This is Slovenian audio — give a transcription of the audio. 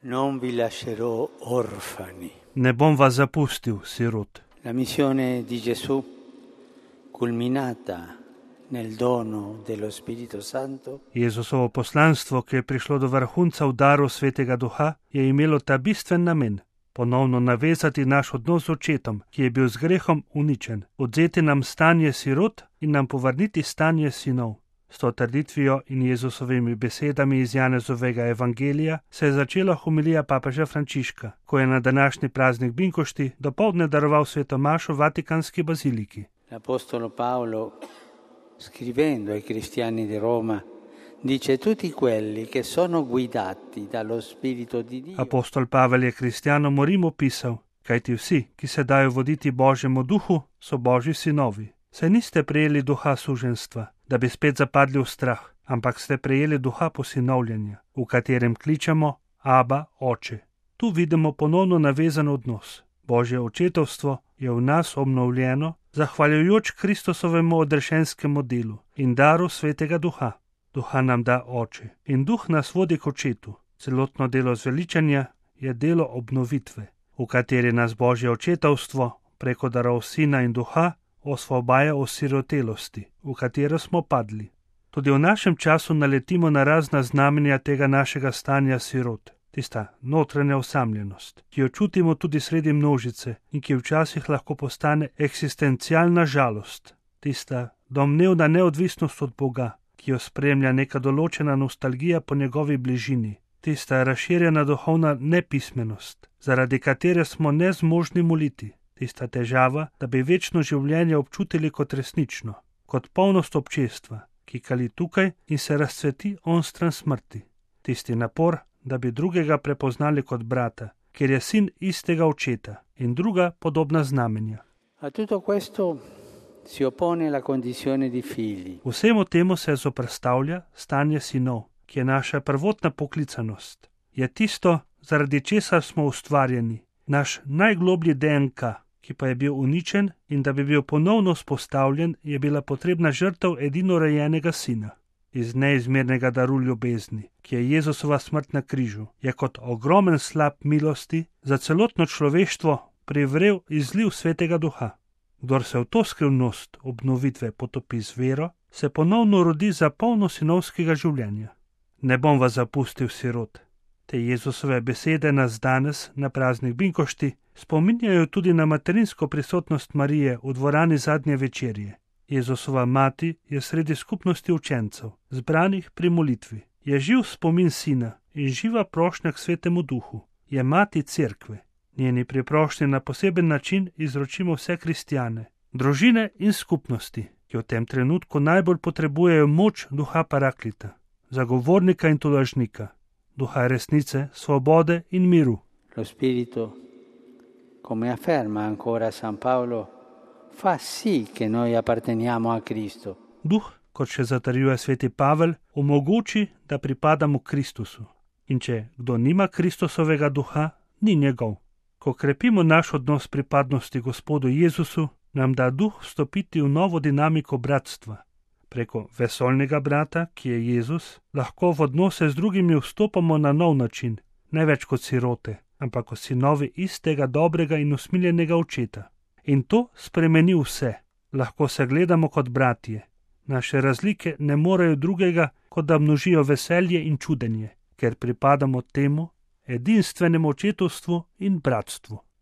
Non vi lascerò orfani. Ne bom vas zapustil, sirot. La missione di Gesù, culminata nel dono dello Spirito Santo, Jezusovo poslanstvo, ki je prišlo do vrhunca v daru Svetega Duha, je imelo ta bistven namen: ponovno navezati naš odnos z očetom, ki je bil z grehom uničen, odzeti nam stanje sirot in nam povrniti stanje sinov. S to trditvijo in Jezusovimi besedami iz Janezovega evangelija se je začela homilija papeža Frančiška, ko je na današnji praznik Binkošti dopoldne daroval sveto mašo v Vatikanski baziliki. l'Apostolo Paolo, scrivendo ai cristiani di Roma, dice: tutti quelli che sono guidati dallo Spirito di Dio. Apostol Pavel je kristjanom v Rimu pisal: kajti vsi, ki se dajo voditi Božjemu duhu, so Božji sinovi. Saj niste prejeli duha suženjstva, da bi spet zapadli v strah, ampak ste prejeli duha posinovljenja, v katerem kličemo Aba, Oče. Tu vidimo ponovno navezan odnos. Božje očetovstvo je v nas obnovljeno, zahvaljujoč Kristusovemu odrešenskemu delu in daru Svetega Duha. Duha nam da Oče in Duh nas vodi k Očetu. Celotno delo zveličanja je delo obnovitve, v kateri nas Božje očetovstvo preko darov Sina in Duha osvobaja osirotelosti, v katero smo padli. Tudi v našem času naletimo na razna znamenja tega našega stanja sirot. Tista notranja osamljenost, ki jo čutimo tudi sredi množice in ki včasih lahko postane eksistencialna žalost. Tista domnevna neodvisnost od Boga, ki jo spremlja neka določena nostalgija po njegovi bližini. Tista razširjena duhovna nepismenost, zaradi katere smo nezmožni moliti. Tista težava, da bi večno življenje občutili kot resnično, kot polnost občestva, ki kali tukaj in se razcveti onstran smrti. Tisti napor, da bi drugega prepoznali kot brata, ker je sin istega očeta, in druga podobna znamenja. A tutto questo si oppone la condizione di figli. Vsemu temu se zoperstavlja stanje sinov, ki je naša prvotna poklicanost. Je tisto, zaradi česar smo ustvarjeni, naš najgloblji DNK, ki pa je bil uničen, in da bi bil ponovno vzpostavljen, je bila potrebna žrtev edinorojenega sina. Iz neizmernega daru ljubezni, ki je Jezusova smrt na križu, je kot ogromen slap milosti za celotno človeštvo privrel izliv Svetega Duha. Kdor se v to skrivnost obnovitve potopi z vero, se ponovno rodi za polno sinovskega življenja. Ne bom vas zapustil, sirot. Te Jezusove besede nas danes, na praznik Binkošti, spominjajo tudi na materinsko prisotnost Marije v dvorani zadnje večerje. Jezusova mati je sredi skupnosti učencev, zbranih pri molitvi. Je živ spomin sina in živa prošnja k Svetemu Duhu. Je mati cerkve. Njeni priprošnji na poseben način izročimo vse kristjane, družine in skupnosti, ki v tem trenutku najbolj potrebujejo moč Duha Paraklita, zagovornika in tolažnika, Duha resnice, svobode in miru. Lo Spirito, come afferma ancora San Paolo, fa sì che noi apparteniamo a Cristo. Duh, kot še zatrjuje sveti Pavel, omogoči, da pripadamo Kristusu. In če kdo nima Kristusovega duha, ni njegov. Ko krepimo naš odnos pripadnosti Gospodu Jezusu, nam da duh vstopiti v novo dinamiko bratstva. Preko vesoljnega brata, ki je Jezus, lahko v odnose z drugimi vstopamo na nov način, ne več kot sirote, ampak kot sinovi istega dobrega in usmiljenega očeta. In to spremeni vse. Lahko se gledamo kot bratje. Naše razlike ne morejo drugega, kot da množijo veselje in čudenje, ker pripadamo temu edinstvenemu očetovstvu in bratstvu.